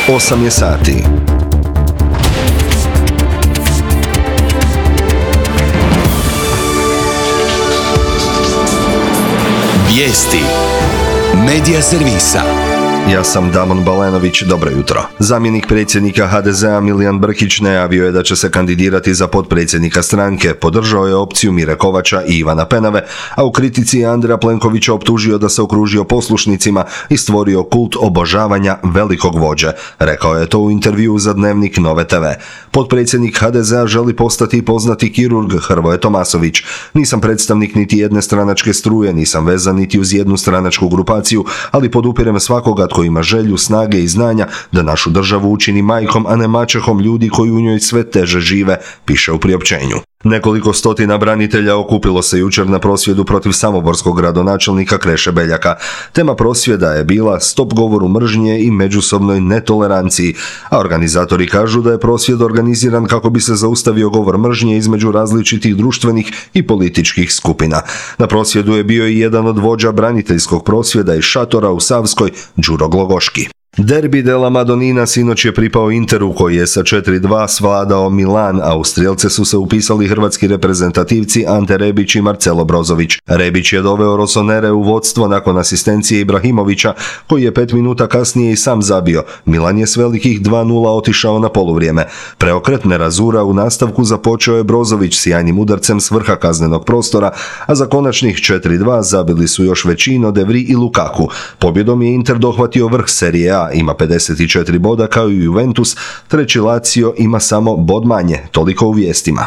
8 je sati. Vijesti Medija servisa. Ja sam Damon Balenović, dobro jutro. Zamjenik predsjednika HDZ-a Milijan Brkić najavio je da će se kandidirati za potpredsjednika stranke, podržao je opciju Mire Kovača i Ivana Penave, a u kritici je Andreja Plenkovića optužio da se okružio poslušnicima i stvorio kult obožavanja velikog vođe. Rekao je to u intervjuu za Dnevnik Nove TV. Potpredsjednik HDZ-a želi postati poznati kirurg Hrvoje Tomasović. Nisam predstavnik niti jedne stranačke struje, nisam vezan niti uz jednu stranačku grupaciju, ali podupirem svakoga tko ima želju, snage i znanja da našu državu učini majkom, a ne maćehom ljudi koji u njoj sve teže žive, piše u priopćenju. Nekoliko stotina branitelja okupilo se jučer na prosvjedu protiv samoborskog gradonačelnika Kreše Beljaka. Tema prosvjeda je bila stop govoru mržnje i međusobnoj netoleranciji, a organizatori kažu da je prosvjed organiziran kako bi se zaustavio govor mržnje između različitih društvenih i političkih skupina. Na prosvjedu je bio i jedan od vođa braniteljskog prosvjeda iz Šatora u Savskoj, Đuro Glogoški. Derbi della Madonnina sinoć je pripao Interu koji je sa 4:2 svladao Milan, a u strijelce su se upisali hrvatski reprezentativci Ante Rebić i Marcelo Brozović. Rebić je doveo Rossonere u vodstvo nakon asistencije Ibrahimovića, koji je 5 minuta kasnije i sam zabio. Milan je s velikih 2:0 otišao na poluvrijeme. Preokret nerazura u nastavku započeo je Brozović sjajnim udarcem s vrha kaznenog prostora, a za konačnih 4:2 zabili su još Vecino, De Vrij i Lukaku. Pobjedom je Inter dohvatio vrh Serije A, ima 54 boda kao i Juventus, treći Lazio ima samo bod manje, toliko u vijestima.